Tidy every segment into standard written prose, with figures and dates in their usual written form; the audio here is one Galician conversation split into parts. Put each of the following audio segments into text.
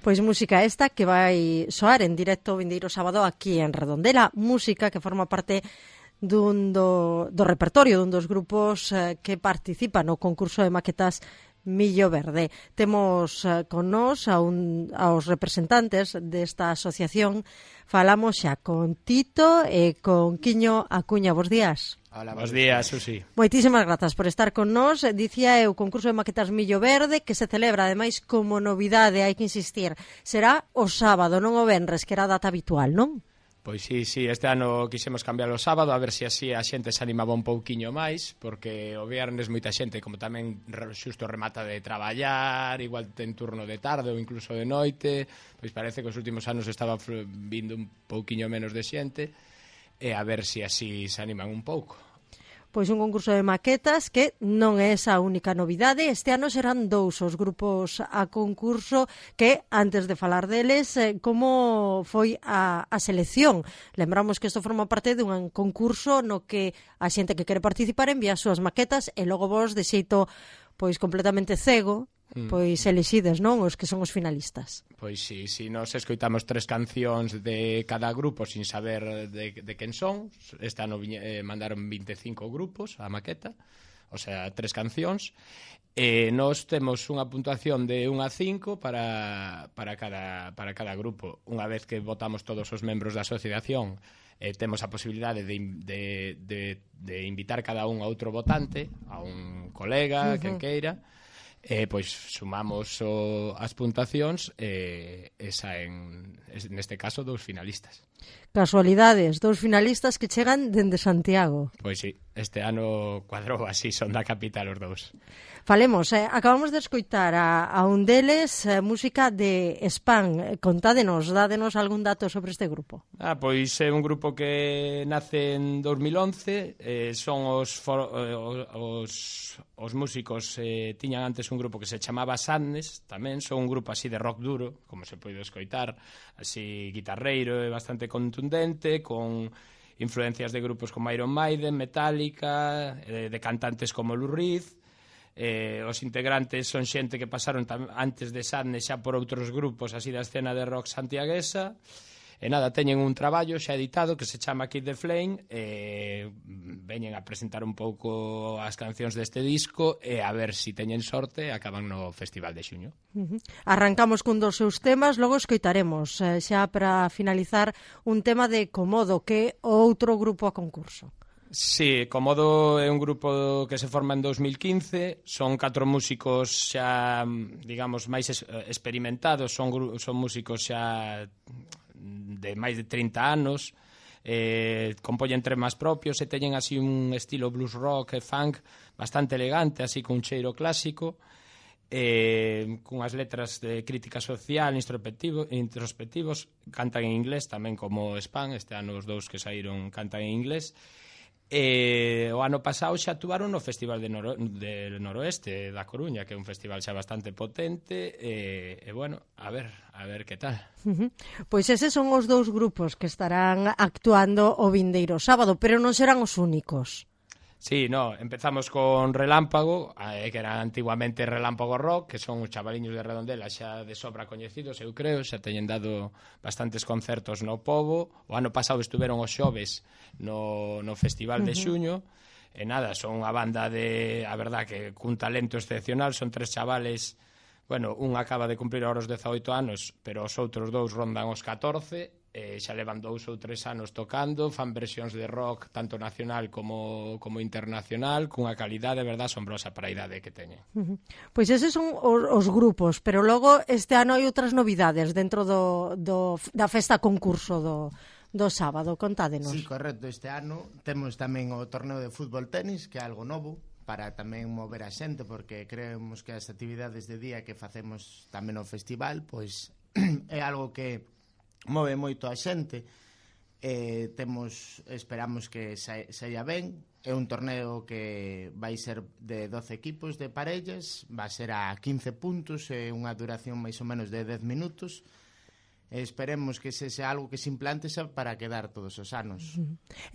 Pois música esta que vai soar en directo o vindeiro sábado aquí en Redondela, música que forma parte do repertorio dun dos grupos que participan no concurso de maquetas Millo Verde. Temos con nós aos representantes desta asociación. Falamos xa con Tito e con Quiño Acuña. Bos días. Hola, bos días, Susi. Moitísimas grazas por estar con nós. Dicía o concurso de maquetas Millo Verde, que se celebra, ademais, como novidade, hai que insistir, será o sábado, non o venres, que era a data habitual, non? Pois sí, este ano quixemos cambiar o sábado, a ver se así a xente se animaba un pouquiño máis, porque o viernes moita xente, como tamén xusto remata de traballar, igual ten turno de tarde ou incluso de noite, pois parece que os últimos anos estaba vindo un pouquiño menos de xente, e a ver se así se animan un pouco. Pois un concurso de maquetas que non é esa única novidade. Este ano serán 2 os grupos a concurso que, antes de falar deles, como foi a selección. Lembramos que isto forma parte dun concurso no que a xente que quere participar envía as súas maquetas e logo vos, de xeito pois completamente cego, pois elixides, non, os que son os finalistas. Pois sí, nos escoitamos 3 cancións de cada grupo sin saber de quen son. Este ano mandaron 25 grupos a maqueta, o sea, 3 cancións. Nós temos unha puntuación de 1 a 5 para cada grupo. Unha vez que votamos todos os membros da asociación, temos a posibilidade de invitar cada un a outro votante, a un colega, quen queira. Pois sumamos as puntuacións e saen, neste caso, 2 finalistas. Casualidades, 2 finalistas que chegan dende Santiago. Pois sí, este ano cuadrou así, son da capital os 2. Falemos, acabamos de escoitar a un deles, música de Span. Contádenos, dádenos algún dato sobre este grupo. Pois é un grupo que nace en 2011, son os músicos, tiñan antes un grupo que se chamaba Sadness, tamén son un grupo así de rock duro, como se pode escoitar, así guitarreiro e bastante contundente, con influencias de grupos como Iron Maiden, Metallica, de cantantes como Lou Reed. Os integrantes son xente que pasaron antes de Sadness xa por outros grupos así da escena de rock santiaguesa. E nada, teñen un traballo xa editado que se chama Keep the Flame, veñen a presentar un pouco as cancións deste disco e a ver se teñen sorte acaban no Festival de Xuño. Arrancamos cun dos seus temas, logo escoitaremos xa para finalizar un tema de Comodo, que é outro grupo a concurso. Sí, Comodo é un grupo que se forma en 2015, son 4 músicos xa, digamos, máis experimentados, son músicos xa de máis de 30 anos, compoñen temas propios e teñen así un estilo blues rock e funk bastante elegante, así con un cheiro clásico, cunhas letras de crítica social, introspectivos, cantan en inglés tamén como Span, este ano os 2 que saíron cantan en inglés. O ano pasado xa actuaron no Festival de Noroeste da Coruña, que é un festival xa bastante potente, e bueno, a ver que tal. Pois eses son os 2 grupos que estarán actuando o vindeiro sábado, pero non serán os únicos. Sí, empezamos con Relámpago, que era antiguamente Relámpago Rock, que son os chavaliños de Redondela xa de sobra coñecidos, eu creo, xa teñen dado bastantes concertos no Pobo. O ano pasado estuveron os xoves no Festival de Xuño, e nada, son unha banda a verdad que cun talento excepcional, son 3 chavales, bueno, un acaba de cumprir ahora os 18 anos, pero os outros 2 rondan os 14, xa levan 2 ou 3 anos tocando, fan versións de rock tanto nacional como internacional, cunha calidade, de verdad, asombrosa para a idade que teñen. Pois eses son os grupos, pero logo este ano hai outras novidades dentro da festa concurso do sábado. Contádenos. Sí, correcto, este ano temos tamén o torneo de fútbol tenis, que é algo novo, para tamén mover a xente, porque creemos que as actividades de día que facemos tamén no festival, pois é algo que move moito a xente. Esperamos que saia ben. É un torneo que vai ser de 12 equipos de parellas, vai ser a 15 puntos e unha duración máis ou menos de 10 minutos. Esperemos que sexa algo que se implante xa para quedar todos os anos.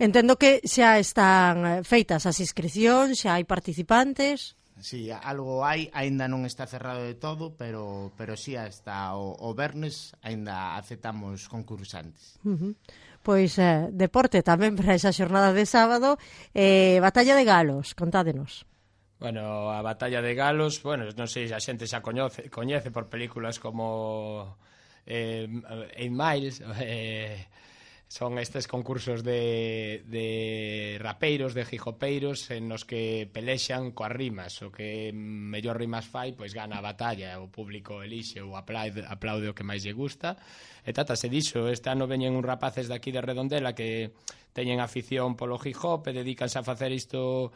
Entendo que xa están feitas as inscripcións, xa hai participantes. Sí, algo hai, aínda non está cerrado de todo, pero sí, hasta o vernes aínda aceptamos concursantes. Pois deporte tamén para esa xornada de sábado. Batalla de Galos, contádenos. Bueno, a Batalla de Galos, bueno, non sei se a xente xa coñece por películas como 8 Miles, son estes concursos de rapeiros, de hijopeiros, en os que pelexan coas rimas. O que mellor rimas fai, pois gana a batalla, o público elixe ou aplaude o que máis lle gusta. E trátase diso, este ano veñen uns rapaces daqui de Redondela que teñen afición polo hip hop e dedícanse a facer isto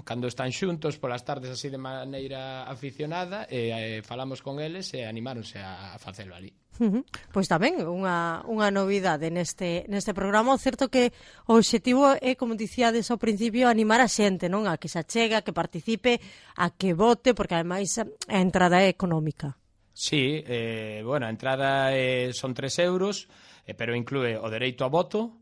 cando están xuntos polas tardes así de maneira aficionada, e falamos con eles e animáronse a facelo ali. Pois tamén unha novidade neste programa. O certo que o obxectivo é, como dicíades ao principio, animar a xente, non? A que se achega, que participe, a que vote, porque ademais a entrada é económica. Sí, bueno, a entrada son 3 euros, pero inclúe o dereito a voto,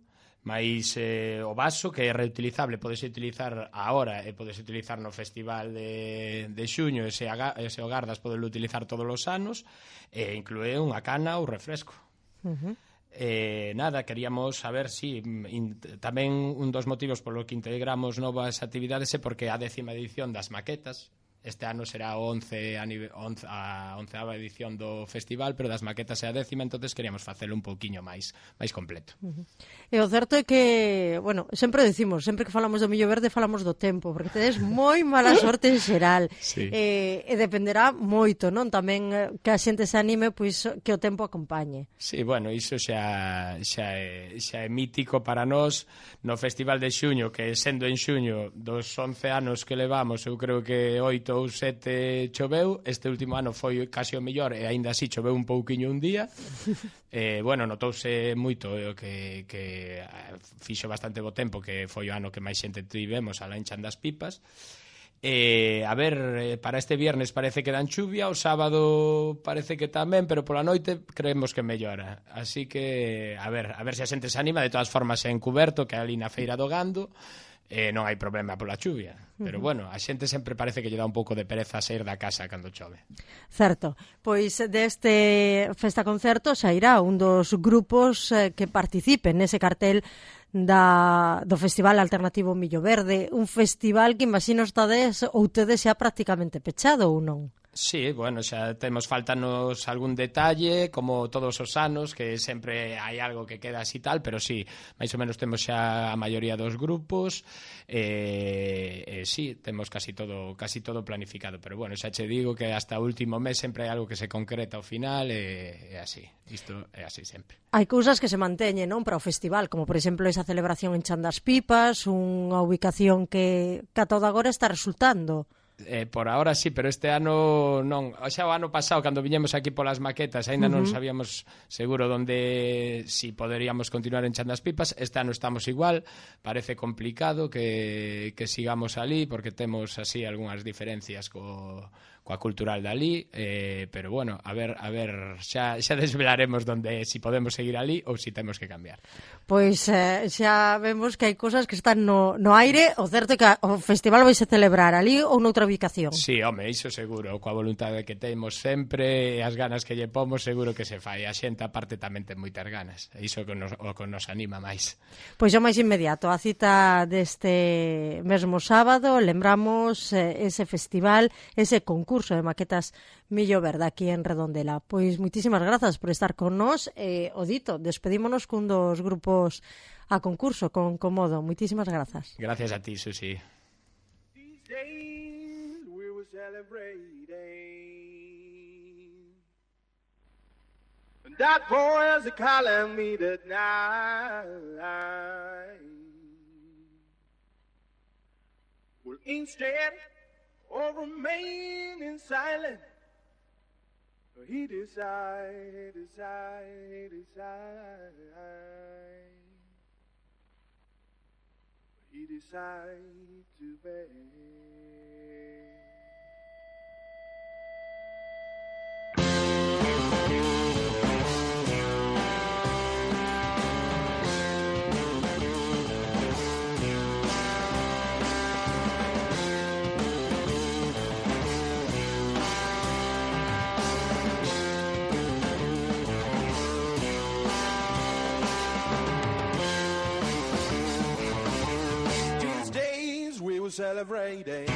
máis o vaso, que é reutilizable, podese utilizar agora e podese utilizar no festival de xuño, e se o gardas podelo utilizar todos os anos, e inclúe unha cana ou refresco. Nada, queríamos saber si tamén un dos motivos polo que integramos novas actividades é porque a 10ª edición das maquetas. Este ano será a 11ª edición do festival, pero das maquetas é a 10ª, entonces queríamos facelo un pouquiño máis completo. E o certo é que, bueno, sempre decimos, sempre que falamos do Millo Verde falamos do tempo, porque tedes moi mala sorte en xeral. Sí. E dependerá moito, non? Tamén que a xente se anime, pois que o tempo acompañe. Sí, bueno, iso xa é mítico para nós no Festival de Xuño, que sendo en xuño dos 11 anos que levamos, eu creo que 8 ou 7 choveu. Este último ano foi casi o mellor e aínda así choveu un pouquiño un día. Bueno, notouse moito que fixo bastante bo tempo, que foi o ano que máis xente tivemos alá en Chan das Pipas. A ver, para este viernes parece que dan chuvia, o sábado parece que tamén, pero pola noite creemos que mellora. Así que a ver se a xente se anima. De todas formas é encuberto, que é ali na Feira do Gando. Non hai problema pola chuvia, pero bueno, a xente sempre parece que lle dá un pouco de pereza sair da casa cando chove. Certo, pois deste festa concerto xa irá un dos grupos que participen nese cartel do Festival Alternativo Millo Verde, un festival que imagino estades ou tedes xa prácticamente pechado ou non? Sí, bueno, xa faltanos algún detalle, como todos os anos, que sempre hai algo que queda así tal, pero sí, máis ou menos temos xa a maioría dos grupos, sí, temos casi todo planificado, pero bueno, xa che digo que hasta o último mes sempre hai algo que se concreta ao final, e así, isto é así sempre. Hai cousas que se manteñen, non, para o festival, como por exemplo esa celebración en Chan das Pipas, unha ubicación que a todo agora está resultando. Por ahora sí, pero este ano non. Xa o ano pasado, cando viñemos aquí polas maquetas, aínda non sabíamos seguro onde si poderíamos continuar en Chan das Pipas. Este ano estamos igual, parece complicado que sigamos ali, porque temos así algunhas diferencias coa cultural dali, pero bueno, a ver, xa desvelaremos donde si podemos seguir ali ou si temos que cambiar. Pois xa vemos que hai cousas que están no aire. O certo é que o festival vai se celebrar ali ou noutra ubicación. Sí, home, iso seguro, coa voluntade que temos sempre e as ganas que lle pomos, seguro que se fai. A xente aparte tamén ten moitas ganas, e iso que nos anima máis. Pois o máis inmediato, a cita deste mesmo sábado, lembramos ese festival, ese concurso de maquetas Millo Verde aquí en Redondela. Pois moitísimas grazas por estar con nós, o dito, despedímonos cun dos grupos a concurso, con Comodo. Moitísimas grazas. Gracias a ti, Susi. That boy is calling me tonight. Well, instead of remaining silent, he decide to beg. celebrating.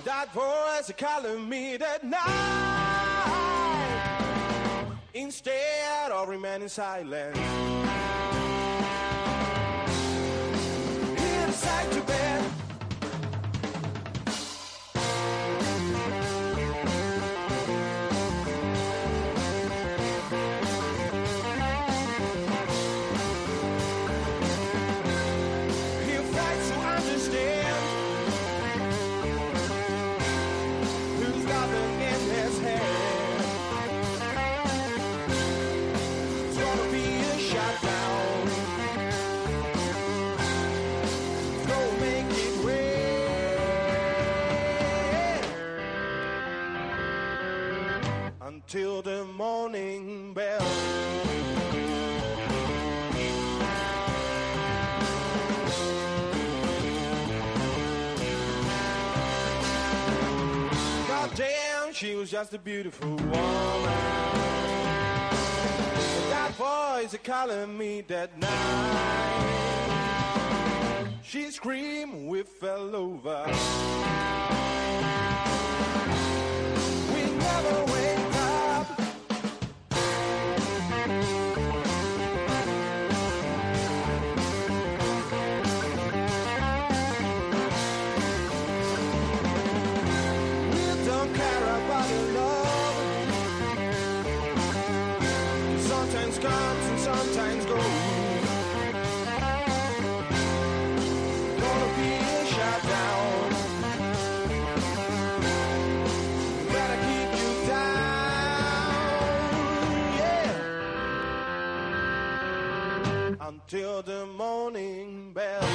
That voice calling me that night, instead of remaining silent. Inside to bed. Till the morning bell. God damn, she was just a beautiful woman. That voice calling me that night. She screamed, we fell over. We never wake up. Comes and sometimes goes. Gonna be shut down. Gotta keep you down, yeah. Until the morning bell.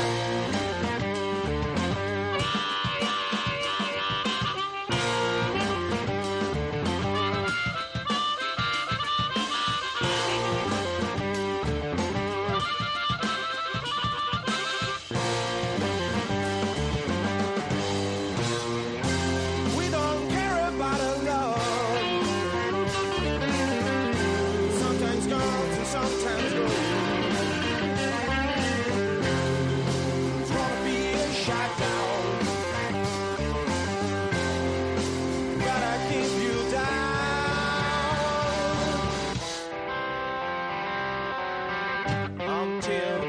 Till